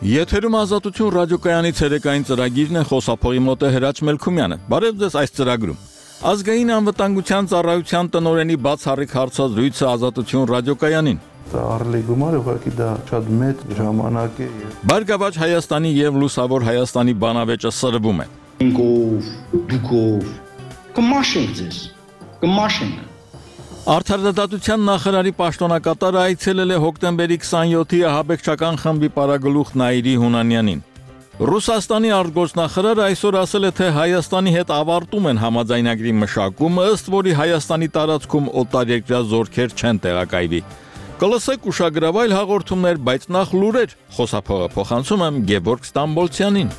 Եթերում ազատություն ռադիոկայանի ցերեկային ծրագիրն է, խոսափողի մոտ է Հրաչ Մելքումյանը։ Բարև ձեզ այս ծրագրում։ Ազգային անվտանգության ծառայության տնօրենի բացառիկ հարցազրույցը Ազատություն ռադիոկայանին։ Արելի գումարը ուղղակի դա շատ մեծ ժամանակ է։ Բարգավաճ Հայաստանի եւ Լուսավոր Հայաստանի բանավեճը սրվում է։ Դուկով կմաշենք ձեզ, կմաշենք։ Արդարադատության նախարարի պաշտոնակատարը այցելել է հոկտեմբերի 27-ի ահաբեկչական խմբի պարագլուխ Նաիրի Հունանյանին։ Ռուսաստանի արտգործնախարարը այսօր ասել է, թե Հայաստանի հետ ավարտում են համաձայնագրի մշակումը, ըստ որի Հայաստանի տարածքում օտարերկրյա զորքեր չեն տեղակայվի։ Կլսեք ուշագրավայր հաղորդումներ, բայց նախ լուրեր, խոսափողը փոխանցում եմ Գևորգ Ստամբոլցյանին։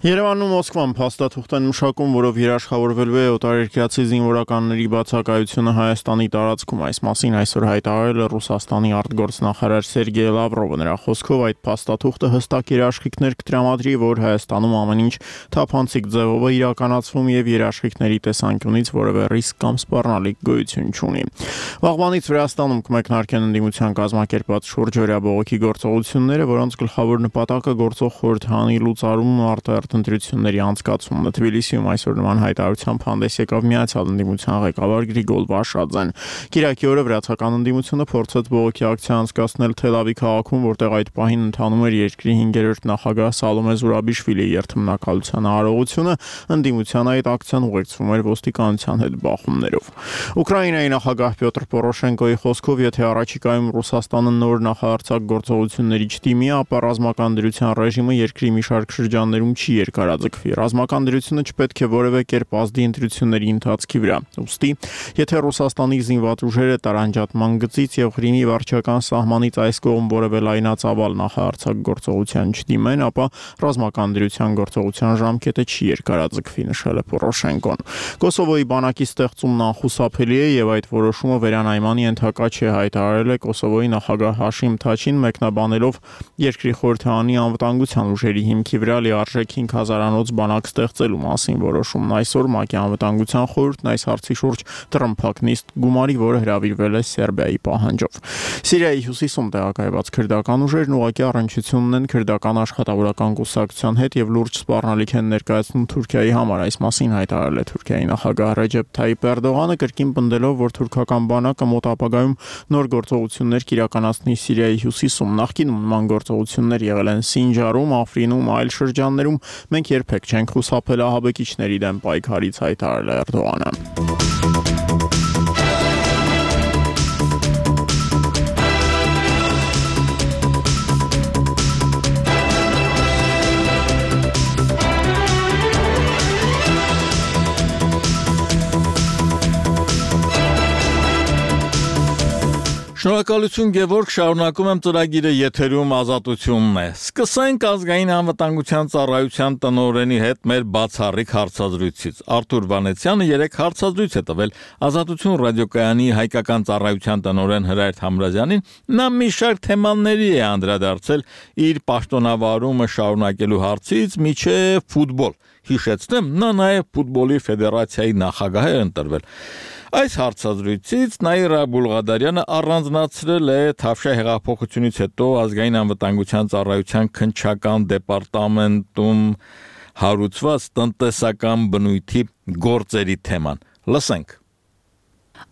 Երևանում Մոսկվան փաստաթուղթ են մշակում, որով երաշխավորվելու է օտարերկրացի զինվորականների բացակայությունը Հայաստանի տարածքում։ Այս մասին այսօր հայտարարել է Ռուսաստանի արտգործնախարար Սերգեյ Լավրովը։ Նրա խոսքով այդ փաստաթուղթը հստակ երաշխիքներ կտրամադրի, որ Հայաստանում ամեն ինչ թափանցիկ ձևով է իրականացվում եւ երաշխիքների տեսանկյունից որևէ ռիսկ կամ սպառնալիք գոյություն չունի։ Վաղվանից Վրաստանում կմեկնարկեն ընդդիմության կազմակերպած շուրջօրյա բողոքի գործողությունները, որոնց գլխավոր նպատակը գործող խորհրդանի լուծարումն ու ընտրությունների անցկացումն է։ Թբիլիսիում այսօր նման հայտարարությամբ հանդես եկավ Միացյալ ընդդիմության ղեկավար Գրիգոր Վաշաձեն։ Կիրակի օրը վրացական ընդդիմությունը փորձեց բողոքի ակցիա անցկացնել Թել-Ավիվ քաղաքում, որտեղ այդ պահին ընթանում էր երկրի 5-րդ նախագահ Սալոմե Զուրաբիշվիլիի երթմնակալության արարողությունը, ընդդիմության այդ ակցիան ուղեկցվում էր ոստիկանության հետ բախումներով։ Ուկրաինայի նախագահ Պյոտր Պորոշենկոյի խոսքով, եթե առաջիկայում Ռուսաստանը նոր նախարարցակ գործողությունների չդիմի, ապա ռազմական դրության ռեժիմը երկրի մի շարք շրջաններում չի երկարաձգվի։ Ռազմական դրությունը չպետք է որևէ կերպ ազդի ընտրությունների ընթացքի վրա։ Ուստի, եթե Ռուսաստանի զինված ուժերը տարանջատման գծից եւ Ղրիմի վարչական սահմանից այս կողմ որևէ լայնածավալ նախարարցակ գործողության չդիմեն, ապա ռազմական դրության գործողության ժամկետը չի երկարաձգվի, նշել է Պորոշենկոն։ Կոսովոյի բանակի ստեղծումն անխուսափելի է եւ այդ որոշումը վերանայման ենթակա չէ, հայտարարել է Կոսովոյի նախագահ Հաշիմ Թաչին, մեկնաբանելով երկրի խորհրդանի անվտանգության ուժերի հիմքի վրա լիարժեք 5000-անոց բանակ ստեղծելու մասին որոշումն այսօր ՄԱԿ-ի անվտանգության խորհուրդն այս հարցի շուրջ տրմփակ նիստ գումարի, որը հրավիրվել է Սերբիայի պահանջով։ Սիրիայի հյուսիսում տեղակայված քրդական ուժերն ուղղակի առնչություն ունեն քրդական աշխատավորական կուսակցության հետ եւ լուրջ սպառնալիք են ներկայացնում Թուրքիայի համար։ Այս մասին հայտարարել է Թուրքիայի նախագահ Ռեջեփ Թայիփ Էրդողանը, կրկին պնդելով, որ թուրքական բանակը մոտ ապագայում նոր գործողություններ կիրականացնի Սիրիայի հյուսիսում։ Նախկինում նման գործողություններ եղել են Սինջարում, Աֆրինում, այլ շրջաններում։ Մենք երբեք չենք խուսափել ահաբեկիչների դեմ պայքարից, հայտարարել է Էրդողանը։ Շնորհակալություն Գևորգ, շարունակում եմ ծրագիրը, եթերում ազատությունն է։ Սկսենք ազգային անվտանգության ծառայության տնօրենի հետ մեր բացառիկ հարցազրույցից։ Արթուր Վանեցյանը 3 հարցազրույց է տվել Ազատություն ռադիոկայանի հայկական ծառայության տնօրեն Հրայր Համրազյանին։ Նա մի շարք թեմաների է անդրադարձել իր պաշտոնավարումը շարունակելու հարցից մինչև ֆուտբոլ։ Հիշեցնեմ, նա նաև ֆուտբոլի ֆեդերացիայի նախագահ է ընտրվել։ Այս հարցազրույցից Նաիրա Բուլղադարյանը առանձնացրել է Թավշյա հեղափոխությունից հետո ազգային անվտանգության ծառայության քննչական դեպարտամենտում հարուցված տնտեսական բնույթի գործերի թեման։ Լսենք։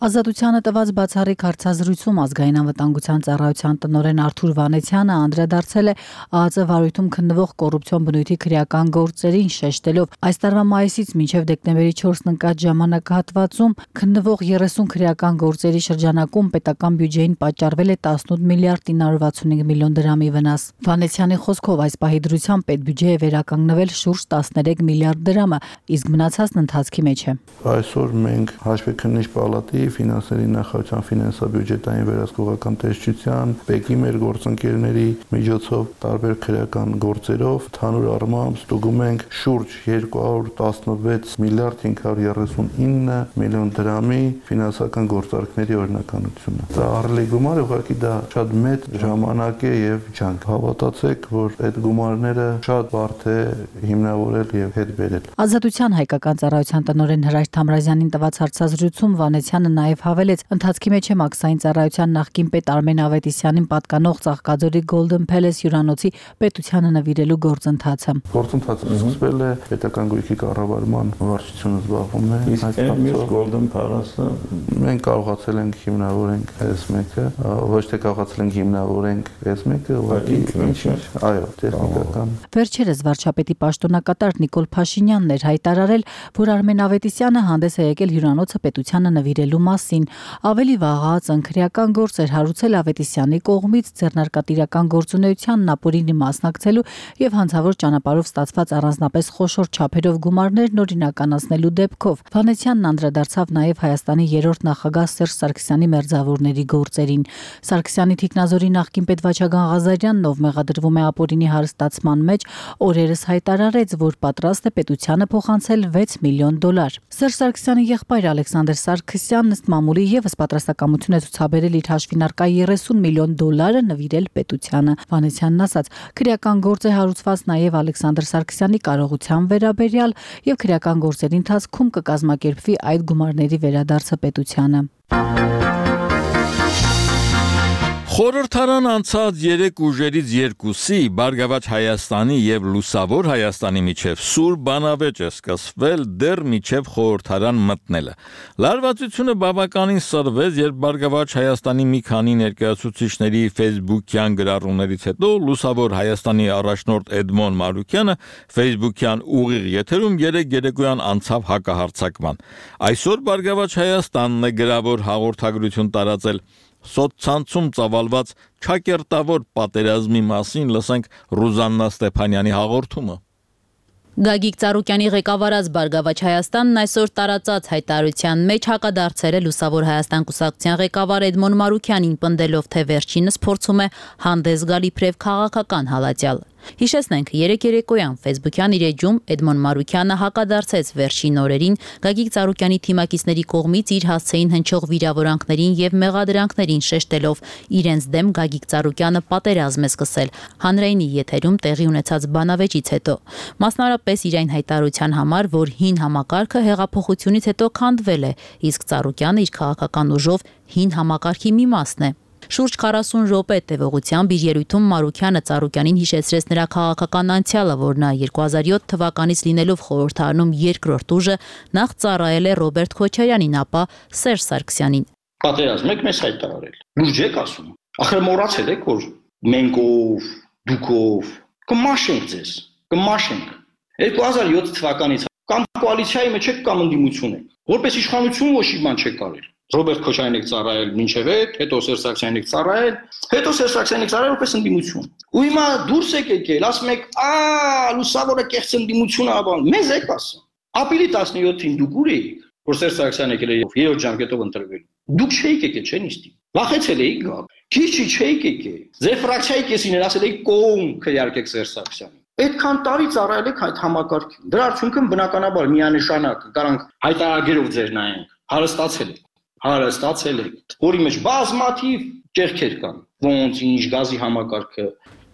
Ազատությանը տված բացառիկ հարցազրույցում ազգային անվտանգության ծառայության տնօրեն Արթուր Վանեցյանը անդրադարձել է ԱԱԾ վարույթում քննվող կոռուպցիոն բնույթի քրեական գործերին, շեշտելով այս տարվա մայիսից մինչև դեկտեմբերի 4-ն ընկած ժամանակահատվածում քննվող 30 քրեական գործերի շրջանակում պետական բյուջեին պատճառվել է 18 միլիարդ 965 միլիոն դրամի վնաս։ Վանեցյանի խոսքով այս պահի դրությամբ պետբյուջեը վերականգնվել շուրջ 13 միլիարդ դրամը, իսկ մնացածն ընթացքի մեջ է։ Այսօր մենք հաշվեկնիչ պալատի Էլի ֆինանսների նախարարության ֆինանսա-բյուջետային վերահսկողական տեսչության, ՊԵԿ-ի մեր գործընկերների միջոցով տարբեր քրեական գործերով ընդհանուր առմամբ ստուգում ենք շուրջ 216 միլիարդ 539 միլիոն դրամի ֆինանսական գործարքների օրինականությունը։ Դա ահռելի գումար է, ուղղակի դա շատ մեծ ժամանակ է եւ ջանք։ Հավատացեք, որ այդ գումարները շատ բարդ է հիմնավորել եւ հետ բերել։ Ազատության հայկական ծառայության տնօրեն Հրաշ Թամրազյանին տված հարցազրույցում Վանեցյանը նաև հավելեց, ընթացքի մեջ է մաքսային ծառայության նախկին պետ Արմեն Ավետիսյանին պատկանող Ծաղկաձորի Golden Palace հյուրանոցի պետությանը նվիրելու գործընթացը։ Գործընթացը սկսվել է պետական գույքի կառավարման վարչությունը զբաղվում է։ Իսկ մյուս Golden Palace-ը մենք կարողացել ենք հիմնավորենք S1-ը, ոչ թե կարողացել ենք հիմնավորենք S1-ը, ուղղակի այո, տեխնիկական։ Վերջերս վարչապետի պաշտոնակատար Նիկոլ Փաշինյանն էր հայտարարել, որ Արմեն Ավետիսյանը հանդես է եկել հյուրանոցը պետությանը նվիրելու մասին։ Ավելի վաղուց ընկերական գործեր հարուցել Ավետիսյանի կողմից ձեռնարկատիրական գործունեությանն ապօրինի մասնակցելու եւ հանցավոր ճանապարհով ստացված առանձնապես խոշոր չափերով գումարներն օրինականացնելու դեպքով։ Վանեցյանն անդրադարձավ նաեւ Հայաստանի 3-րդ նախագահ Սերժ Սարգսյանի մերձավորների գործերին։ Սարգսյանի թիկնազորի նախկին պետ Վաչագան Ղազարյանն, ով մեղադրվում է ապօրինի հարստացման մեջ, օրերս հայտարարեց, որ պատրաստ է պետությանը փոխանցել $6 միլիոն։ Սերժ Սարգսյանի եղբայր Ալեքսանդր Սարգսյանն ըստ մամուլի եւս պատրաստակամություն է ցուցաբերել իր հաշվին առկա $30 միլիոն նվիրել պետությանը։ Վանեցյանն ասաց, քրեական գործ է հարուցված նաեւ Ալեքսանդր Սարգսյանի կարողության վերաբերյալ եւ քրեական գործերի ընթացքում կկազմակերպվի այդ գումարների վերադարձը պետությանը։ Խորհրդարան անցած 3 ուժերից 2-ի Բարգավաճ Հայաստանի եւ Լուսավոր Հայաստանի միջև սուր բանավեճ է սկսվել դեռ միջև խորհրդարան մտնելը։ Լարվածությունը բավականին սրվեց, երբ Բարգավաճ Հայաստանի մի քանի ներկայացուցիչների Facebook-յան գրառումներից հետո Լուսավոր Հայաստանի առաջնորդ Էդմոն Մարուկյանը Facebook-յան ուղիղ եթերում երեկոյան անցավ հակահարձակման։ Այսօր Բարգավաճ Հայաստանն է գրավոր հաղորդագրություն տարածել Սոցցանցում ծավալված չակերտավոր պատերազմի մասին լսենք Ռուզաննա Ստեփանյանի հաղորդումը։ Գագիկ Ծառուկյանի ղեկավարած Բարգավաճ Հայաստանն այսօր տարածած հայտարարության մեջ հակադարձել է Լուսավոր Հայաստան կուսակցության ղեկավար Էդմոն Մարուկյանին, պնդելով, թե վերջինս փորձում է հանդես գալ իբրև քաղաքական հալածյալ։ Հիշեցնենք, երեկոյան Facebook-յան իր էջում Էդմոն Մարուկյանը հակադարձեց վերջին օրերին Գագիկ Ծառուկյանի թիմակիցների կողմից իր հասցեին հնչող վիրավորանքներին եւ մեղադրանքներին, շեշտելով իրենց դեմ Գագիկ Ծառուկյանը պատերազմ է սկսել հանրայինի եթերում տեղի ունեցած բանավեճից հետո։ Մասնարարպես իր այն հայտարարության համար, որ հին համակարգը հեղափոխությունից հետո քանդվել է, իսկ Ծառուկյանը իր քաղաքական ուժով հին համակարգի մի մասն է։ Շուրջ 40 րոպե տևողությամբ իր ելույթում Մարուկյանը Ծառուկյանին հիշեցրեց նրա քաղաքական անցյալը, որ նա 2007 թվականից լինելով խորհրդարանում երկրորդ ուժը նախ ծառայել է Ռոբերտ Քոչարյանին, ապա Սերժ Սարգսյանին։ Պատերազմ եք մեզ հայտարարել։ Լուրջ եք ասում։ Ախր մոռացել եք, որ մենքով, դուքով կմաշենք ձեզ, կմաշենք։ 2007 թվականից կամ կոալիցիայի մեջ եք կամ ընդդիմություն եք։ Որպես իշխանություն ոչ մի բան չեք կարել։ Ռոբերտ Քոչարյանին եք ծառայել մինչև այդ, հետո Սերժ Սարգսյանին եք ծառայել, հետո Սերժ Սարգսյանին եք ծառայել որպես ընդդիմություն։ Ու հիմա դուրս եք եկել, ասում եք, Լուսավորը կեղծ ընդդիմություն ա բան։ Մեզ եք ասում։ Ապրիլի 17-ին դուք ուր էիք, որ Սերժ Սարգսյանն եկել է 3 ժամկետով ընտրվել։ Դուք չէիք եկել, չէ՞ նիստի։ Վախեցել էիք գալ։ Քիչ չէիք եկել։ Ձեր ֆրակցիայի կեսին ասել էիք կողմ քրեարկեք Սերժ Սարգսյանին։ Այդքան տարի ծառայել եք այդ համակարգին։ Դրա արդյունքում բնականաբար միանշանակ կարանք հայտարարներով ձեր նայենք, հարստացել եք, որի մեջ բազմաթիվ ճեղքեր կան, ոնց ինչ գազի համակարգը։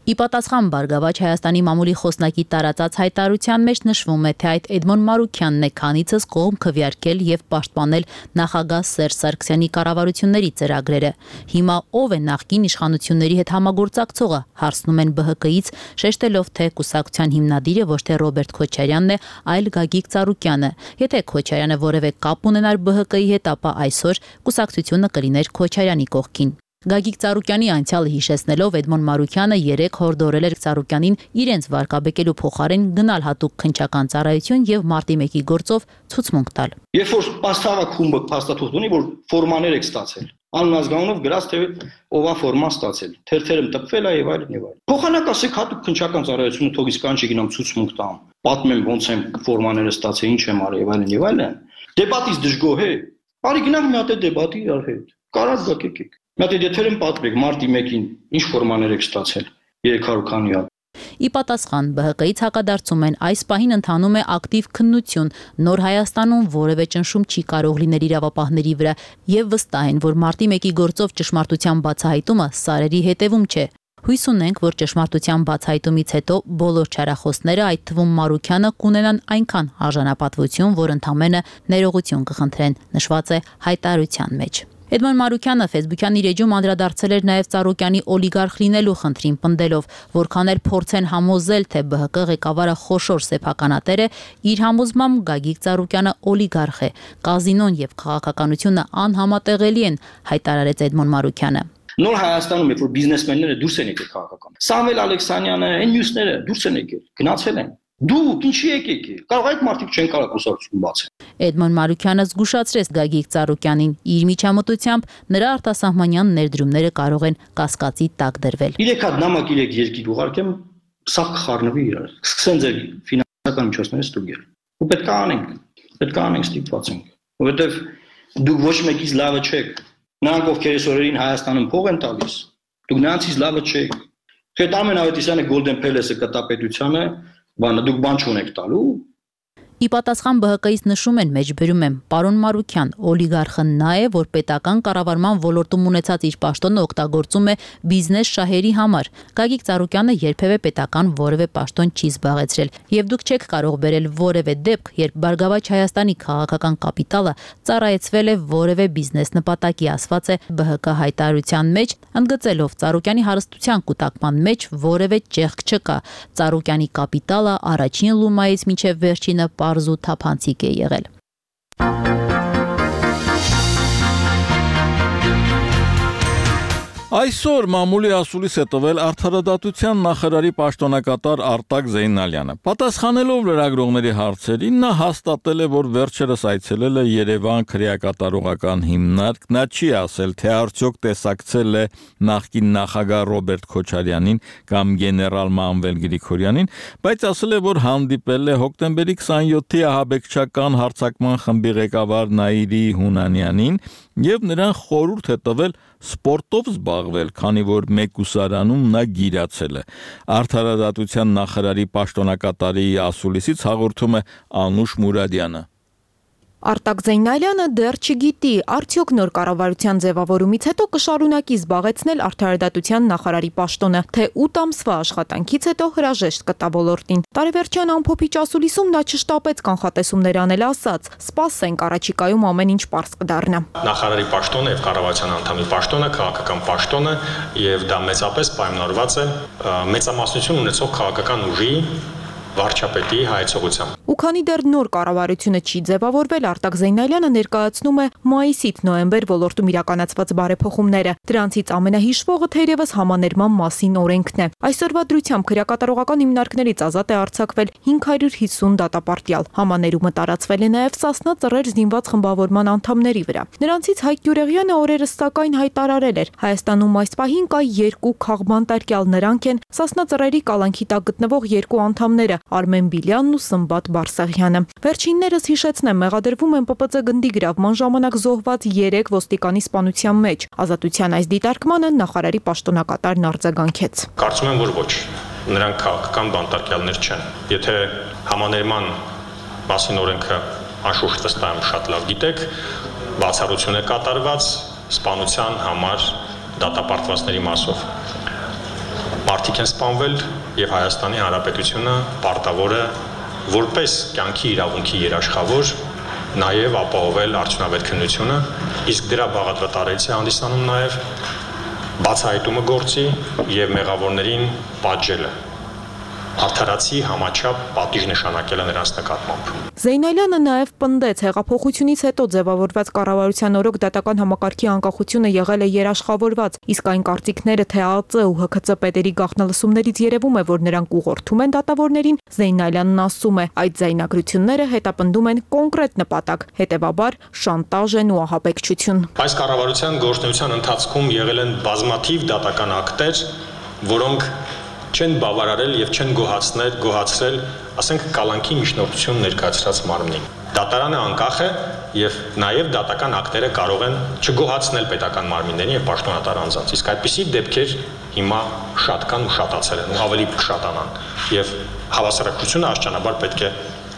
Ի պատասխան Բարգավաճ Հայաստանի մամուլի խոսնակի տարածած հայտարարության մեջ նշվում է, թե այդ Էդմոն Մարուկյանն է քանիցս կողմ քվեարկել եւ պաշտպանել նախագահ Սերժ Սարգսյանի կառավարությունների ծրագրերը։ Հիմա ով է նախկին իշխանությունների հետ համագործակցողը, հարցնում են ԲՀԿ-ից, շեշտելով, թե կուսակցության հիմնադիրը ոչ թե Ռոբերտ Քոչարյանն է, այլ Գագիկ Ծառուկյանը։ Եթե Քոչարյանը որևէ կապ ունենար ԲՀԿ-ի հետ, ապա այսօր կուսակցությունը կլիներ Քոչարյանի կողքին։ Գագիկ Ծառուկյանի անցյալը հիշեցնելով Էդմոն Մարուկյանը երեք հորդորել էր Ծառուկյանին իրենց վարկաբեկելու փոխարեն գնալ հատուկ քննչական ծառայություն եւ մարտի 1-ի գործով ցուցմունք տալ։ Երբ որ պաստավա խումբը փաստաթուղթ ունի, որ ֆորմաներ եք ստացել, աննազգանունով գրած թե ով է ֆորման ստացել, թերթերում տպվել է եւ այլն եւ այլն։ Փոխանակ ասեք հատուկ քննչական ծառայությունը թող իսկ կանչի գնամ ցուցմունք տամ, պատմեմ ոնց եմ ֆորմաները ստացել, ինչ եմ արել եւ այլն եւ այլն։ Դեպատից դժգոհ է։ Արի գնանք մի հատ դեբատի իրար հետ։ Կարած գաք եկեք։ Մի հատ եթեր եմ պատմեք մարտի 1-ին ինչ ֆորմաներ եք ստացել 300 քանի հատ։ Ի պատասխան ԲՀԿ-ից հակադարձում են այս պահին ընթանում է ակտիվ քննություն, նոր Հայաստանում որևէ ճնշում չի կարող լինել իրավապահների վրա եւ վստահ են, որ մարտի 1-ի գործով ճշմարտության բացահայտումը սարերի հետևում չէ։ Հույս ունենք, որ ճշմարտության բացահայտումից հետո բոլոր չարախոսները, այդ թվում Մարուքյանը, կունենան այնքան արժանապատվություն, որ ընդամենը ներողություն կխնդրեն, նշված է հայտարարության մեջ։ Էդմոն Մարուքյանը Facebook-յան իր էջում անդրադարձել էր նաև Ծառուկյանի օլիգարխ լինելու խնդրին, պնդելով, որքան էլ փորձեն համոզել, թե ԲՀԿ ղեկավարը խոշոր սեփականատեր է, իր համոզմամբ Գագիկ Ծառուկյանը օլիգարխ է։ Կազինոն եւ քաղաքականությունը անհամատեղելի են, հայտարարեց Էդմոն Մարուքյանը։ Նոր Հայաստանում երբ որ բիզնեսմենները դուրս են եկել քաղաքական։ Սամվել Ալեքսանյանը, այն մյուսները դուրս են եկել, գնացել են։ Դուք ինչի եկեք։ Կարող այդ մարդիկ չեն կարող կուսակցություն բացել։ Էդմոն Մարուքյանը զգուշացրեց Գագիկ Ծառուկյանին, իր միջամտությամբ նրա արտասահմանյան ներդրումները կարող են կասկածի տակ դրվել։ 3 հատ նամակ 3 երկիր ուղարկեմ, սա կխառնվի իրար։ Սկսեն ձեր ֆինանսական միջոցները ստուգել։ Ու պետք է անենք ստիպված ենք, որովհետև դուք ոչ մեկից լավը չեք։ Նրանք ովքեր այս օրերին Հայաստանում փող են տալիս, դուք նրանցից լավը չեք։ Հետ Արմեն Ավետիսյանը Golden Palace-ը կտապետությանը, դուք բան չունեք տալու։ Ի պատասխան ԲՀԿ-ից նշում են, մեջբերում եմ, պարոն Մարուքյան, օլիգարխը նա է, որ պետական կառավարման ոլորտում ունեցած իր պաշտոնը օգտագործում է բիզնես շահերի համար։ Գագիկ Ծառուկյանը երբևէ պետական որևէ պաշտոն չի զբաղեցրել, եւ դուք չեք կարող բերել որևէ դեպք, երբ Բարգավաճ Հայաստանի քաղաքական կապիտալը ծառայեցվել է որևէ բիզնես նպատակի, ասված է ԲՀԿ հայտարարության մեջ, ընդգծելով Ծառուկյանի հարստության կուտակման մեջ որևէ ճեղք չկա։ Ծառուկյանի կապիտալը առաջին լումայից մինչև վերջինը պարզ ու թափանցիկ է եղել։ Այսօր մամուլի ասուլիս է տվել Արդարադատության նախարարի պաշտոնակատար Արտակ Զեյնալյանը։ Պատասխանելով լրագրողների հարցերին, նա հաստատել է, որ վերջերս այցելել է Երևան քրեակատարողական հիմնարկ, նա չի ասել, թե արդյոք տեսակցել է նախկին նախագահ Ռոբերտ Քոչարյանին կամ գեներալ Մանվել Գրիգորյանին, բայց ասել է, որ հանդիպել է հոկտեմբերի 27-ի ահաբեկչական հարձակման խմբի ղեկավար Նաիրի Հունանյանին եւ նրան խորհուրդ է տվել սպորտով զբաղվել, քանի որ Մեկուսարանում նա գիրացել է։ Արդարադատության նախարարի պաշտոնակատարի ասուլիսից հաղորդում է Անուշ Մուրադյանը։ Արտակ Զեյնալյանը դեռ չգիտի, արդյոք նոր կառավարության ձևավորումից հետո կշարունակի զբաղեցնել արդարադատության նախարարի պաշտոնը, թե 8 ամսվա աշխատանքից հետո հրաժեշտ կտա ոլորտին։ Տարեվերջյան ամփոփիչ ասուլիսում նա չշտապեց կանխատեսումներ անել, ասաց. «Սպասենք, առաջիկայում ամեն ինչ պարզ կդառնա»։ Նախարարի պաշտոնը եւ կառավարության անդամի պաշտոնը քաղաքական պաշտոն է եւ դա մեծապես պայմանավորված է մեծամասնություն ունեցող քաղաքական ուժի վարչապետի հայեցողությամբ։ Ու քանի դեռ նոր կառավարությունը չի ձևավորվել, Արտակ Զեյնալյանը ներկայացնում է մայիսից նոյեմբեր ոլորտում իրականացված բարեփոխումները։ Դրանցից ամենահիշվողը թերևս համաներման մասին օրենքն է։ Այսօրվա դրությամբ քրեակատարողական հիմնարկներից ազատ է արձակվել 550 դատապարտյալ։ Համաներումը տարածվել է նաև Սասնա ծռեր զինված խմբավորման անդամների վրա։ Նրանցից Հայկ Գյուրեղյանը օրերս սակայն հայտարարել էր. Հայաստանում այս պահին կա 2 քաղբանտարկյալ, նրանք են Սասնա ծռերի կալանքի տակ գտնվող 2 անդամները՝ Արմեն Բիլյանն ու Սմբատ Բարսեղյանը։ Վերջիններս հիշեցնեմ, մեղադրվում են ՊՊՑ գնդի գրավման ժամանակ զոհված 3 ոստիկանի սպանության մեջ։ Ազատության այս դիտարկմանը նախարարի պաշտոնակատարն արձագանքեց։ Կարծում եմ, որ ոչ։ Նրանք քաղաքական բանտարկյալներ չեն։ Եթե համաներման մասին օրենքը անշուշտ վստահ եմ շատ լավ գիտեք, բացառություն է կատարված սպանության համար դատապարտվածների մասով։ Մարդիկ են սպանվել եւ Հայաստանի Հանրապետությունը պարտավոր է որպես կյանքի իրավունքի երաշխավոր նաեւ ապահովել արդյունավետ քննությունը, իսկ դրա բաղադրատարից է հանդիսանում նաեւ բացահայտումը գործի եւ մեղավորներին պատժելը։ Արդարացի համաչափ պատիժ նշանակելը նրանց նկատմամբ։ Զեյնալյանը նաև պնդեց, հեղափոխությունից հետո ձևավորված կառավարության օրոք դատական համակարգի անկախությունը եղել է երաշխավորված, իսկ այն կարծիքները, թե ԱԱԾ ու ՀՔԾ պետերի գաղտնալսումներից երևում է, որ նրանք ուղղորդում են դատավորներին, Զեյնալյանն ասում է, այդ ձայնագրությունները հետապնդում են կոնկրետ նպատակ, հետևաբար շանտաժ են ու ահաբեկչություն։ Այս կառավարության գործունեության ընթացքում եղել են բազմաթիվ դատական ակտեր, որոնք չեն բավարարել եւ չեն գոհացրել ասենք կալանքի միջնորդություն ներկայացրած մարմնին։ Դատարանը անկախ է եւ նաեւ դատական ակտերը կարող են չգոհացնել պետական մարմիններին եւ պաշտոնատար անձանց։ Իսկ այդպիսի դեպքեր հիմա շատ կան ու շատացել են ու ավելի կշատանան եւ հավասարակցությունը աշճանաբար պետք է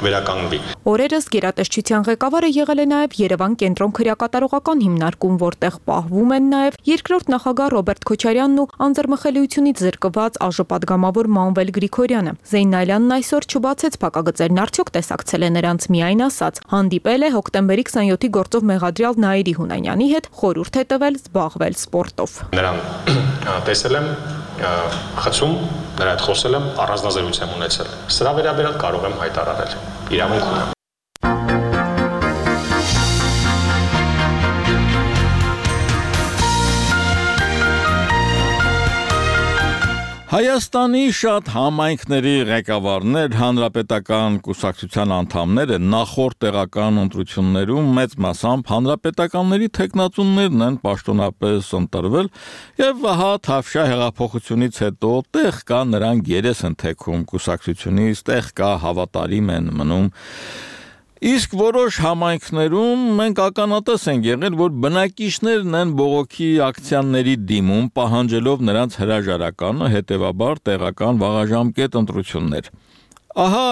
վերականգնվի։ Օրերս գերատեսչության ղեկավարը եղել է նաև Երևան կենտրոն քրեակատարողական հիմնարկում, որտեղ պահվում են նաև երկրորդ նախագահ Ռոբերտ Քոչարյանն ու անձեռմխելիությունից զրկված ԱԺ-պատգամավոր Մանվել Գրիգորյանը։ Զեյնալյանն այսօր չբացեց փակագծերն արդյոք տեսակցել է նրանց, միայն ասաց, հանդիպել է հոկտեմբերի 27-ի գործով մեղադրյալ Նաիրի Հունանյանի հետ, խորհուրդ է տվել զբաղվել սպորտով։ Նրան տեսել եմ խցում, նրա հետ խոսել եմ, առանձնազրույց եմ ունեցել։ Սրա վերաբերյալ կարող եմ հայտարարել։ Իրավունք ունեմ։ Հայաստանի շատ համայնքների ղեկավարներ, հանրապետական կուսակցության անդամները նախորդ տեղական ընտրություններում մեծ մասամբ հանրապետականների թեկնածուներն են պաշտոնապես ընտրվել եւ ահա Թավշյա հեղափոխությունից հետո տեղ կա նրանք երես են թեքում կուսակցությունից, տեղ կա հավատարիմ են մնում։ Իսկ որոշ համայնքներում մենք ականատես ենք եղել, որ բնակիչներն են բողոքի ակցիաների դիմում, պահանջելով նրանց հրաժարականը, հետևաբար տեղական վաղաժամկետ ընտրություններ։ Ահա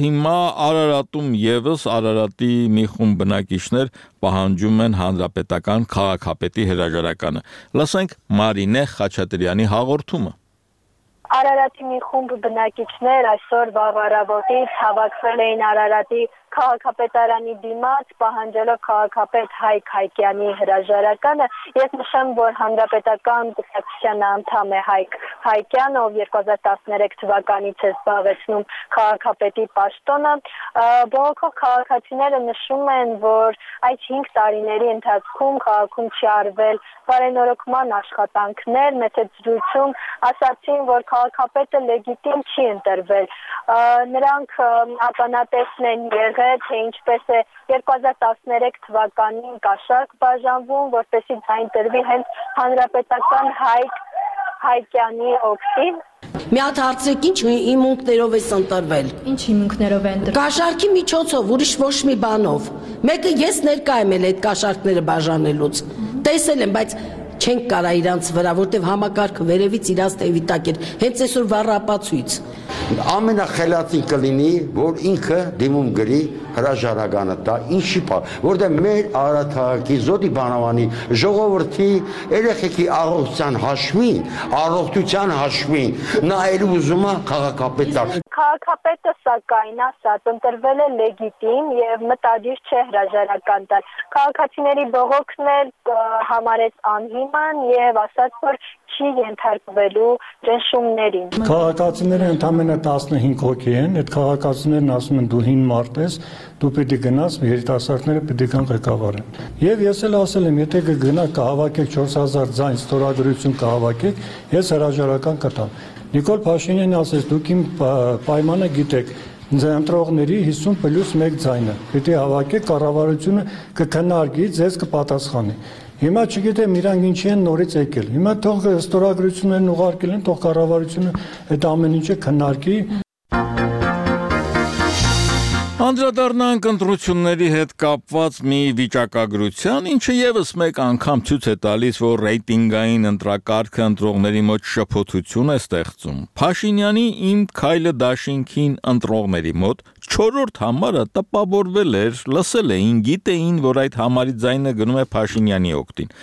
հիմա Արարատում եւս Արարատի մի խումբ բնակիչներ պահանջում են հանրապետական քաղաքապետի հրաժարականը։ Լսենք Մարինե Խաչատրյանի հաղորդումը։ Արարատի մի խումբ բնակիչներ այսօր վաղ առավոտից հավաքվել էին Արարատի քաղաքապետարանի դիմաց, պահանջելով քաղաքապետ Հայկ Հայկյանի հրաժարականը։ Ես նշեմ, որ հանրապետական կուսակցության անդամ է Հայկ Հայկյանը, ով 2013 թվականից է զբաղեցնում քաղաքապետի պաշտոնը։ Բողոքող քաղաքացիները նշում են, որ այդ 5 տարիների ընթացքում քաղաքում չի արվել բարենորոգման աշխատանքներ, մեծ զրույցում ասացին, որ քաղաքապետը լեգիտիմ չի ընտրվել։ Նրանք ականատեսն են եղել, թե ինչպես է 2013 թվականին կաշառք բաժանվում, որպեսզի ձայն տրվի հենց հանրապետական Հայկյանի օգտին։ Մի հատ հարցրեք, ինչ հիմունքներով է ընտրվել։ Ինչ հիմունքներով է ընտրվել։ Կաշառքի միջոցով, ուրիշ ոչ մի բանով։ Մեկը ես ներկա եմ այդ կաշառքները բաժանելուց։ Տեսել եմ, բայց չենք կարա իրանց վրա, որտեվ համակարգը վերևից իրանց տեւի տակ էր, հենց այսօր վառապացույց։ Ամենախելացին կլինի, որ ինքը դիմում գրի հրաժարականը տա, ինչի պա, որտեղ մեր Արարատի Զոդի բանավանի ժողովրդի երեխեքի առողջության հաշվին, նա էլ ուզում է քաղաքապետար։ Քաղաքապետը սակայն ասաց, ընտրվել է լեգիտիմ եւ մտադիր չէ հրաժարական տալ։ Քաղաքացիների բողոքն էլ համարեց անհիմն եւ ասաց, որ չի ենթարկվելու ճնշումներին։ Քաղաքացիները ընդամենը 15 հոգի են, այդ քաղաքացիներն ասում են դու հին մարդ ես, դու պիտի գնաս, երիտասարդները պիտի գան ղեկավարեն։ Եվ ես էլ ասել եմ, եթե կգնա կհավաքեք 4000 ձայն ստորագրություն կհավաքեք, ես հրաժարական կտամ։ Նիկոլ Փաշինյանը ասեց, դուք իմ պայմանը գիտեք, ընտրողների 50+1 ձայնը պիտի հավաքեք, կառավարությունը կքննարկի, ձեզ կպատասխանի։ Հիմա չգիտեմ իրանք ինչի են նորից եկել։ Հիմա թող ստորագրություններն ուղարկել են, թող կառավարությունը այդ ամեն ինչը քննարկի։ Անդրադառնանք ընտրությունների հետ կապված մի վիճակագրության, ինչը եւս մեկ անգամ ցույց է տալիս, որ ռեյտինգային ընտրակարգը ընտրողների մոտ շփոթություն է ստեղծում։ Փաշինյանի «Իմ քայլը դաշինքին» ընտրողների մոտ 4-րդ համարը տպավորվել էր, լսել էին, գիտեին, որ այդ համարի ձայնը գնում է Փաշինյանի օգտին,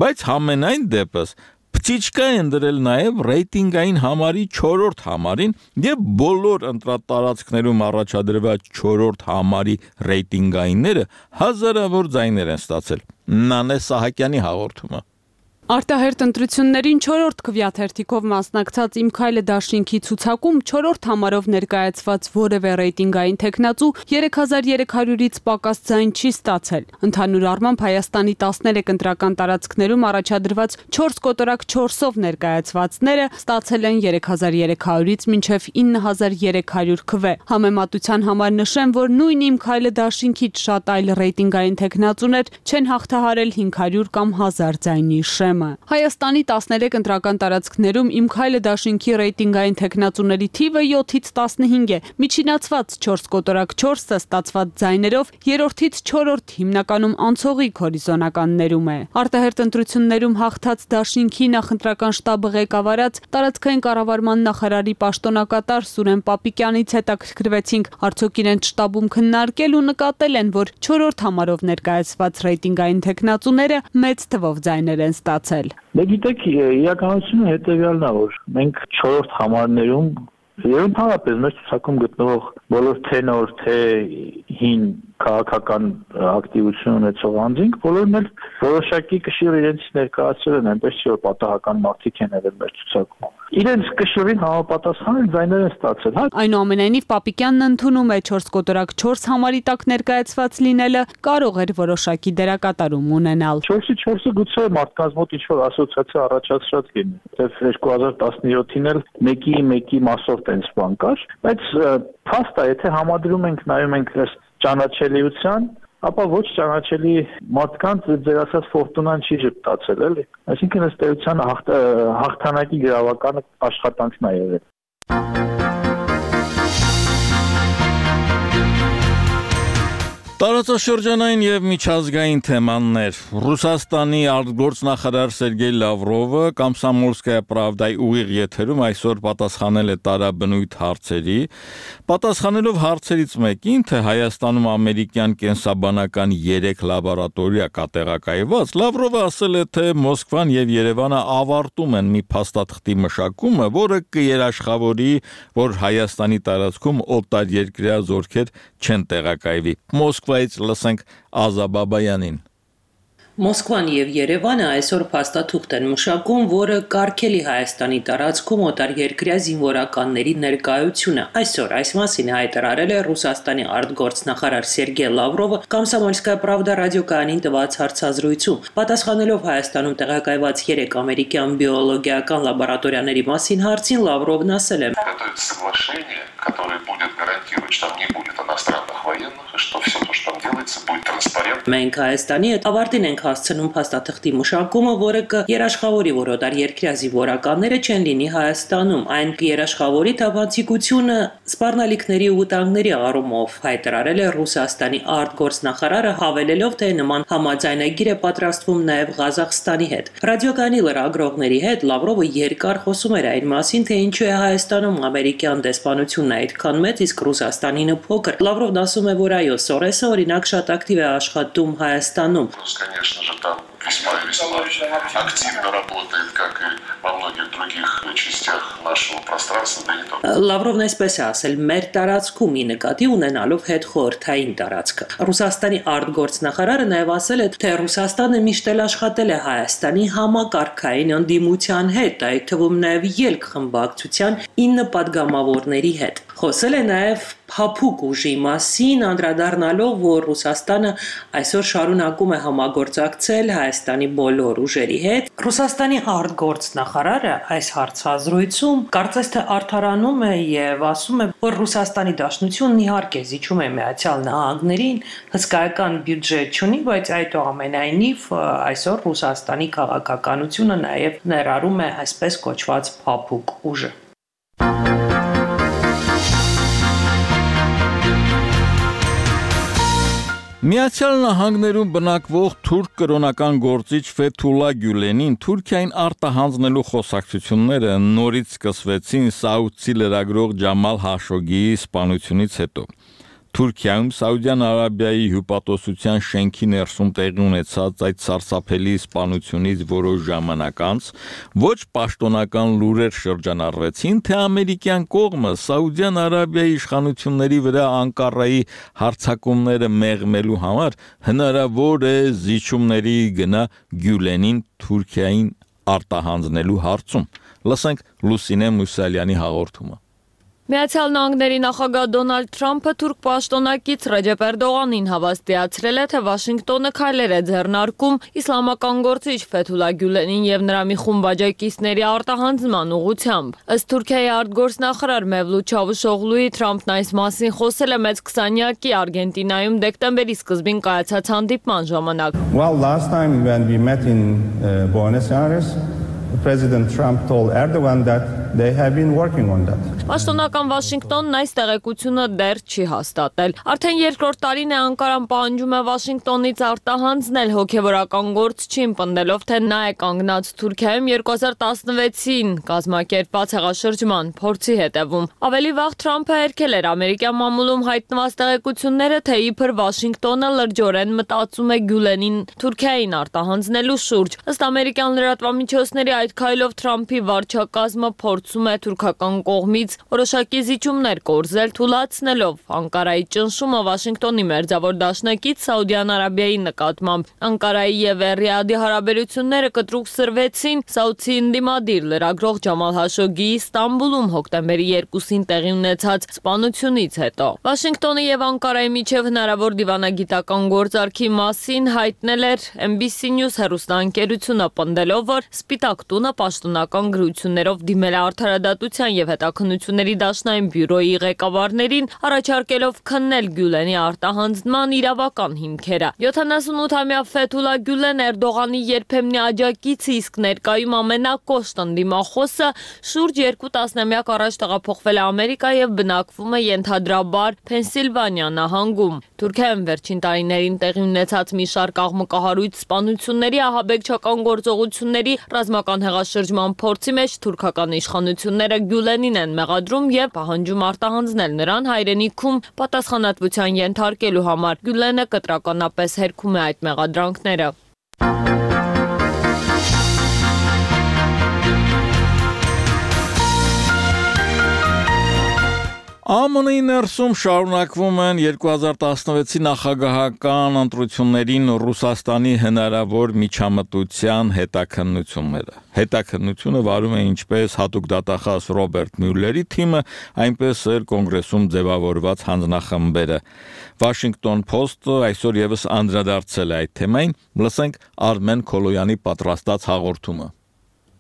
բայց համենայն դեպս Փչիչկա են դրել նաև ռեյտինգային համարի 4-րդ համարին եւ բոլոր ընտրատարածքներում առաջադրված 4-րդ համարի ռեյտինգայինները հազարավոր ձայներ են ստացել։ Նանե Սահակյանի հաղորդումը։ Արտահերտ ընտրություններին 4-րդ քվեաթերթիկով մասնակցած «Իմ քայլը դաշինքի» ցուցակում 4-րդ համարով ներկայացված որևէ ռեյտինգային թեկնածու 3300-ից պակաս ձայն չի ստացել։ Ընդհանուր առմամբ Հայաստանի 13 ընտրական տարածքներում առաջադրված 4/4-ով ներկայացվածները ստացել են 3300-ից մինչև 9300 քվե։ Համեմատության համար նշեմ, որ նույն «Իմ քայլը դաշինքից» շատ այլ ռեյտինգային թեկնածուներ չեն հաղթահարել 500 կամ 1000 ձայնի շեմ։ թեմը։ Հայաստանի 13 ընտրական տարածքներում Իմ քայլը դաշինքի ռեյտինգային թեկնածուների թիվը 7-ից 15 է։ Միջինացված 4 կոտորակ 4-ը ստացված ձայներով 3-ից 4-րդ հիմնականում անցողիկ հորիզոնականներում է։ Արտահերտ ընտրություններում հաղթած դաշինքի նախընտրական շտաբը ղեկավարած տարածքային կառավարման նախարարի պաշտոնակատար Սուրեն Պապիկյանից հետաքրքրվեցինք, արդյոք իրենց շտաբում քննարկել ու նկատել են, որ 4-րդ համարով ներկայացված ռեյտինգային թեկնածուները մեծ թվով ձայներ են ստացել։ Դե գիտեք, իրականությունը հետևյալն է, որ մենք 4-րդ համարներում եւ ընդհանրապես մեր ցուցակում գտնվող բոլոր թե նոր թե հին քաղաքական ակտիվություն ունեցող անձինք բոլորն էլ որոշակի կշիռ իրենց ներկայացրել են, այնպես չէ որ պատահական մարդիկ են եղել մեր ցուցակում։ Իրենց կշիռին համապատասխան ձայներ են ստացել, հա։ Այնուամենայնիվ Պապիկյանն ընդունում է 4 կոտորակ 4 համարի տակ ներկայացված լինելը կարող էր որոշակի դերակատարում ունենալ։ 4-ը գուցե մարդկանց մոտ ինչ-որ ասոցիացիա առաջացրած լինի։ Դեռ 2017-ին էլ մեկի մասով տենց բան կար, բայց փաստ է, եթե համադրում ենք, նայում ենք ճանաչելիության, ապա ոչ ճանաչելի մարդկանց ձեր ասած ֆորտունան չի ժպտացել, էլի։ Այսինքն ըստ էության հաղթանակի գրավականը աշխատանքն է եղել։ Տարածաշրջանային եւ միջազգային թեմաներ։ Ռուսաստանի արտգործնախարար Սերգեյ Լավրովը Կոմսոմոլսկայա պրավդայի ուղիղ եթերում այսօր պատասխանել է տարաբնույթ հարցերի, պատասխանելով հարցերից մեկին, թե Հայաստանում ամերիկյան կենսաբանական 3 լաբորատորիա կա տեղակայված, Լավրովը ասել է, թե Մոսկվան եւ Երևանը ավարտում են մի փաստաթղթի մշակումը, որը կերաշխավորի, որ Հայաստանի տարածքում օտարերկրյա զորքեր չեն տեղակայվի։ Մոսկվայից լսենք Ազա Բաբայանին։ Մոսկվան եւ Երևանը այսօր փաստաթուղթ են մշակում, որը կարգելի Հայաստանի տարածքում օտարերկրյա զինվորականների ներկայությունը։ Այսօր այս մասին հայտարարել է Ռուսաստանի արտգործնախարար Սերգեյ Լավրովը Կոմսոմոլսկայա պրավդա ռադիոկայանին տված հարցազրույցում։ Պատասխանելով Հայաստանում տեղակայված 3 ամերիկյան բիոլոգիական լաբորատորիաների մասին հարցին Լավրովն ասել է. которое будет гарантировать, что там не будет иностранных военных, и что все то, что там делается, будет транспарентно. Մենք Հայաստանի հետ ավարտին ենք հասցնում փաստաթղթի մշակումը, որը կերաշխավորի, որ օտարերկրյա զինվորականները չեն լինի Հայաստանում, այն կերաշխավորի թափանցիկությունը սպառնալիքների ու վտանգների առումով, հայտարարել է Ռուսաստանի արտգործնախարարը, հավելելով, թե նման համաձայնագիր է պատրաստվում նաև Ղազախստանի հետ։ Ռադիոկայանի լրագրողների հետ Լավրովը երկար խոսում էր այն մասին, թե ինչու է Հայաստանում ամերիկյան դեսպանությունն այդքան մեծ, իսկ Ռուսաստանինը փոքր։ Լավրովն ասում է, որ այո, Սորեսը օրինակ շատ ակտիվ է աշխատում Հայաստանում։ Конечно же, там весьма и весьма активно работает, как и во многих других частях нашего пространства, да не только. Լավրովն այսպես է ասել, մեր տարածքում ի նկատի ունենալով հետխորհրդային տարածքը։ Ռուսաստանի արտգործնախարարը նաև ասել է, թե Ռուսաստանը միշտ էլ աշխատել է Հայաստանի համակարգային ընդդիմության հետ, այդ թվում նաև ելք խմբակցության 9 падգամավորների հետ։ Խոսել է նաև փափուկ ուժի մասին, անդրադառնալով, որ Ռուսաստանը այսօր շարունակում է համագործակցել Հայաստանի բոլոր ուժերի հետ։ Ռուսաստանի արտգործնախարարը այս հարցազրույցում կարծես թե արդարանում է եւ ասում է, որ Ռուսաստանի Դաշնությունն իհարկե զիջում է Միացյալ Նահանգներին, հսկայական բյուջետ չունի, բայց այդուամենայնիվ այսօր Ռուսաստանի քաղաքականությունը նաեւ ներառում է այսպես կոչված փափուկ ուժը։ Միացյալ Նահանգներում բնակվող թուրք կրոնական գործիչ Ֆեթուլա Գյուլենին Թուրքիային արտահանձնելու խոսակցությունները նորից սկսվեցին սաուդցի լրագրող Ջամալ Հաշոգիի սպանությունից հետո։ Թուրքիայում Սաուդյան Արաբիայի հյուպատոսության շենքի ներսում տեղի ունեցած այդ սարսափելի սպանությունից որոշ ժամանակ անց ոչ պաշտոնական լուրեր շրջանառվեցին, թե ամերիկյան կողմը Սաուդյան Արաբիայի իշխանությունների վրա Անկարայի հարձակումները մեղմելու համար հնարավոր է զիջումների գնա Գյուլենին Թուրքիային արտահանձնելու հարցում։ Լսենք Լուսինե Մուսալյանի հաղորդումը։ Միացյալ Նահանգների նախագահ Դոնալդ Թրամփը թուրք պաշտոնակից Ռեջեփ Էրդողանին հավաստիացրել է, թե Վաշինգտոնը քայլեր է ձեռնարկում իսլամական գործիչ Ֆեթուլա Գյուլենին եւ նրա մի խումբ աջակիցների արտահանձնման ուղղությամբ։ Ըստ Թուրքիայի արտգործնախարար Մևլութ Չավուշօղլուի Թրամփն այս մասին խոսել է մեծ 20-յակի Արգենտինայում դեկտեմբերի սկզբին կայացած հանդիպման ժամանակ։ Well, last time when we met in Buenos Aires, President Trump told Erdogan that they have been working on that. Պաշտոնական Վաշինգտոնն այս տեղեկությունը դեռ չի հաստատել։ Արդեն երկրորդ տարին է Անկարան պահանջում է Վաշինգտոնից արտահանձնել հոգևորական գործչին, պնդելով, թե նա է կանգնած Թուրքիայում 2016-ին կազմակերպված հեղաշրջման փորձի հետևում։ Ավելի վաղ Թրամփը հերքել էր ամերիկյան մամուլում հայտնված տեղեկությունները, թե իբր Վաշինգտոնը լրջորեն մտածում է Գյուլենին Թուրքիային արտահանձնելու շուրջ։ Ըստ ամերիկյան լրատվամիջոցների այդ քայլով Թրամփի վարչակազմը փորձում է թուրքական կողմից որոշակի զիջումներ կորզել, թույլատնելով Անկարայի ճնշումը Վաշինգտոնի մերձավոր դաշնակից Սաուդյան Արաբիայի նկատմամբ։ Անկարայի եւ Ռիադի հարաբերությունները կտրուկ սրվեցին Սաուդի ընդդիմադիր լրագրող Ջամալ Հաշոգիի Ստամբուլում հոկտեմբերի 2-ին տեղի ունեցած սպանությունից հետո։ Վաշինգտոնի եւ Անկարայի միջև հնարավոր դիվանագիտական գործարքի մասին հայտնել էր NBC News հեռուստաընկերությունը, պնդելով, որ Սպիտակ տունը պաշտոնական գրություններով դիմել է Արդարադատության եւ հետաքննությունների դաշնային բյուրոյի ղեկավարներին, առաջարկելով քննել Գյուլենի արտահանձնման իրավական հիմքերը։ 78-ամյա Ֆեթուլա Գյուլեն Էրդողանի երբեմնի աջակիցը, իսկ ներկայում ամենակոշտ ընդդիմախոսը, շուրջ 2 տասնամյակ առաջ տեղափոխվել է Ամերիկա եւ բնակվում է ենթադրաբար Փենսիլվանիա նահանգում։ Թուրքիայում վերջին տարիներին տեղի ունեցած մի շարք աղմկահարույց սպանությունների, ահաբեկչական գործողությունների, ռազմական հեղաշրջման փորձի մեջ թուրքական իշխանությունները Գյուլենին են մեղադրում եւ պահանջում արտահանձնել նրան հայրենիքում պատասխանատվության ենթարկելու համար։ Գյուլենը կտրականապես հերքում է այդ մեղադրանքները։ ԱՄՆ-ի ներսում շարունակվում են 2016-ի նախագահական ընտրություններին Ռուսաստանի հնարավոր միջամտության հետաքննությունները։ Հետաքննությունը վարում է ինչպես հատուկ դատախազ Ռոբերտ Մյուլլերի թիմը, այնպես էլ կոնգրեսում ձևավորված հանձնախմբերը։ Washington Post-ը այսօր եւս անդրադարձել է այդ թեմային։ Լսենք Արմեն Քոլոյանի պատրաստած հաղորդումը։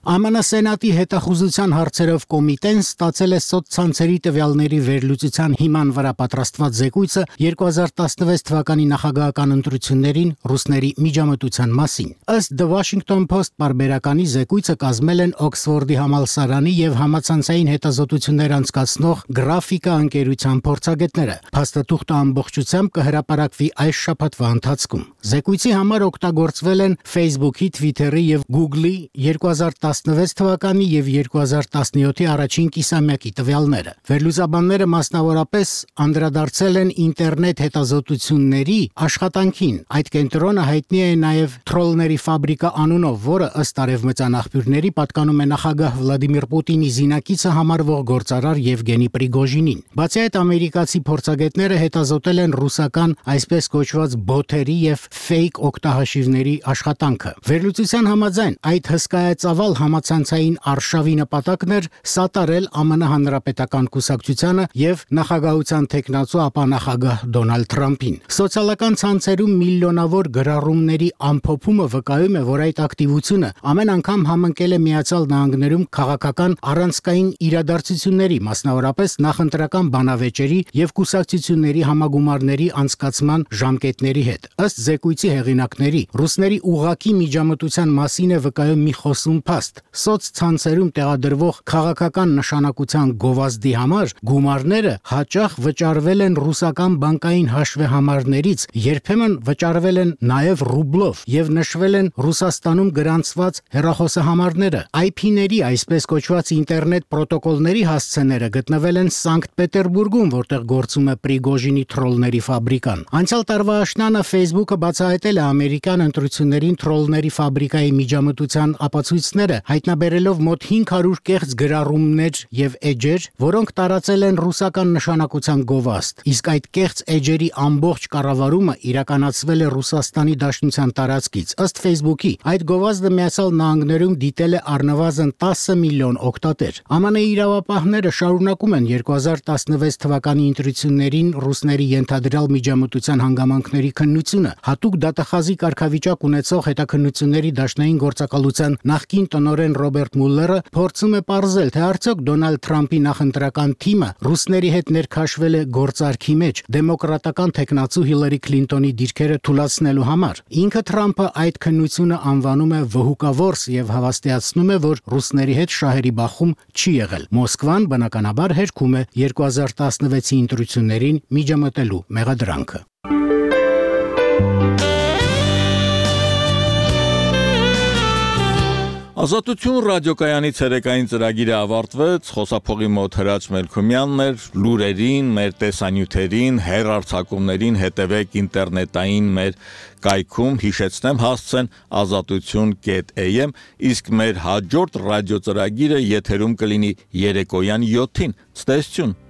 ԱՄՆ Սենատի հետախուզության հարցերով կոմիտեն ստացել է սոցցանցերի տվյալների վերլուծության հիման վրա պատրաստված զեկույցը 2016 թվականի նախագահական ընտրություններին ռուսների միջամտության մասին։ Ըստ The Washington Post պարբերականի զեկույցը կազմել են Օքսֆորդի համալսարանի եւ համացանցային հետազոտություններ անցկացնող գրաֆիկա ընկերության փորձագետները։ Փաստաթուղթը ամբողջությամբ կհրապարակվի այս շաբաթվա ընթացքում։ Զեկույցի համար օգտագործվել են Facebook-ի, Twitter-ի եւ Google-ի 2016 թվականի եւ 2017-ի առաջին կիսամյակի տվյալները։ Վերլուծաբանները մասնավորապես անդրադարձել են ինտերնետ հետազոտությունների աշխատանքին։ Այդ կենտրոնը հայտնի է նաեւ Թրոլների ֆաբրիկա անունով, որը ըստ արևմտյան աղբյուրների պատկանում է նախագահ Վլադիմիր Պուտինի զինակիցը համարվող գործարար Եվգենի Պրիգոժինին։ Բացի այդ, ամերիկացի փորձագետները հետազոտել են ռուսական այսպես կոչված բոթերի եւ ֆեյք օգտահաշիվների աշխատանքը։ Վերլուծության համաձայն այդ հսկայածավալ համացանցային արշավի նպատակն էր սատարել ԱՄՆ հանրապետական կուսակցությանը եւ նախագահության տեխնացու ապա նախագահ Դոնալդ Թրամփին։ Սոցիալական ցանցերում միլիոնավոր գրառումների ամփոփումը վկայում է, որ այդ ակտիվությունը ամեն անգամ համընկել է Միացյալ Նահանգներում քաղաքական առանցքային իրադարձությունների, մասնավորապես նախընտրական բանավեճերի եւ կուսակցությունների համագումարների անցկացման ժամկետների հետ։ Ըստ զեկույցի հեղինակների, ռուսների ուղակի միջամտության մասին է վկայում մի խոսուն փաստ։ Սոցցանցերում տեղադրվող քաղաքական նշանակության գովազդի համար գումարները հաճախ վճարվել են ռուսական բանկային հաշվեհամարներից, երբեմն վճարվել են նաև ռուբլով եւ նշվել են Ռուսաստանում գրանցված հեռախոսահամարները։ IP-ների, այսպես կոչված ինտերնետ պրոտոկոլների հասցեները գտնվել են Սանկտ Պետերբուրգում, որտեղ գործում է Պրիգոժինի Թրոլների ֆաբրիկան։ Անցյալ տարվա աշնանը Facebook-ը բացահայտել է ամերիկյան ընտրություններին Թրոլների ֆաբրիկայի միջամտության ապացույցները թերթը հայտնաբերելով մոտ 500 կեղծ գրառումներ եւ էջեր, որոնք տարածել են ռուսական նշանակության գովաստ։ Իսկ այդ կեղծ էջերի ամբողջ կառավարումը իրականացվել է Ռուսաստանի Դաշնության տարածքից։ Ըստ Facebook-ի, այդ գովազդը Միացյալ Նահանգներում դիտել է առնվազն 10 միլիոն օգտատեր։ ԱՄՆ-ի իրավապահները շարունակում են 2016 թվականի ընտրություններին ռուսների ենթադրյալ միջամտության հանգամանքների քննությունը։ Հատուկ դատախազի կարգավիճակ ունեցող հետաքննությունների դաշնային գործակալության նախկին տնօրեն Ռոբերտ Մուլլերը փորձում է պարզել, թե արդյոք Դոնալդ Թրամփի նախընտրական թիմը ռուսների հետ ներքաշվել է գործարքի մեջ դեմոկրատական թեկնածու Հիլարի Քլինտոնի դիրքերը թուլացնելու համար։ Ինքը Թրամփը այդ քննությունը անվանում է վհուկավորս եւ հավաստիացնում է, որ ռուսների հետ շահերի բախում չի եղել։ Մոսկվան բնականաբար հերքում է 2016-ի ընտրություններին միջամտելու մեղադրանքը։ Ազատություն ռադիոկայանի ցերեկային ծրագիրը ավարտվեց, խոսափողի մոտ Հրաչ Մելքումյանն էր, լուրերին, մեր տեսանյութերին, հեռարձակումներին հետևեք ինտերնետային մեր կայքում, հիշեցնեմ հասցեն azatutun.am, իսկ մեր հաջորդ ռադիո ծրագիրը եթերում կլինի երեկոյան 7-ին։ Ցտեսություն։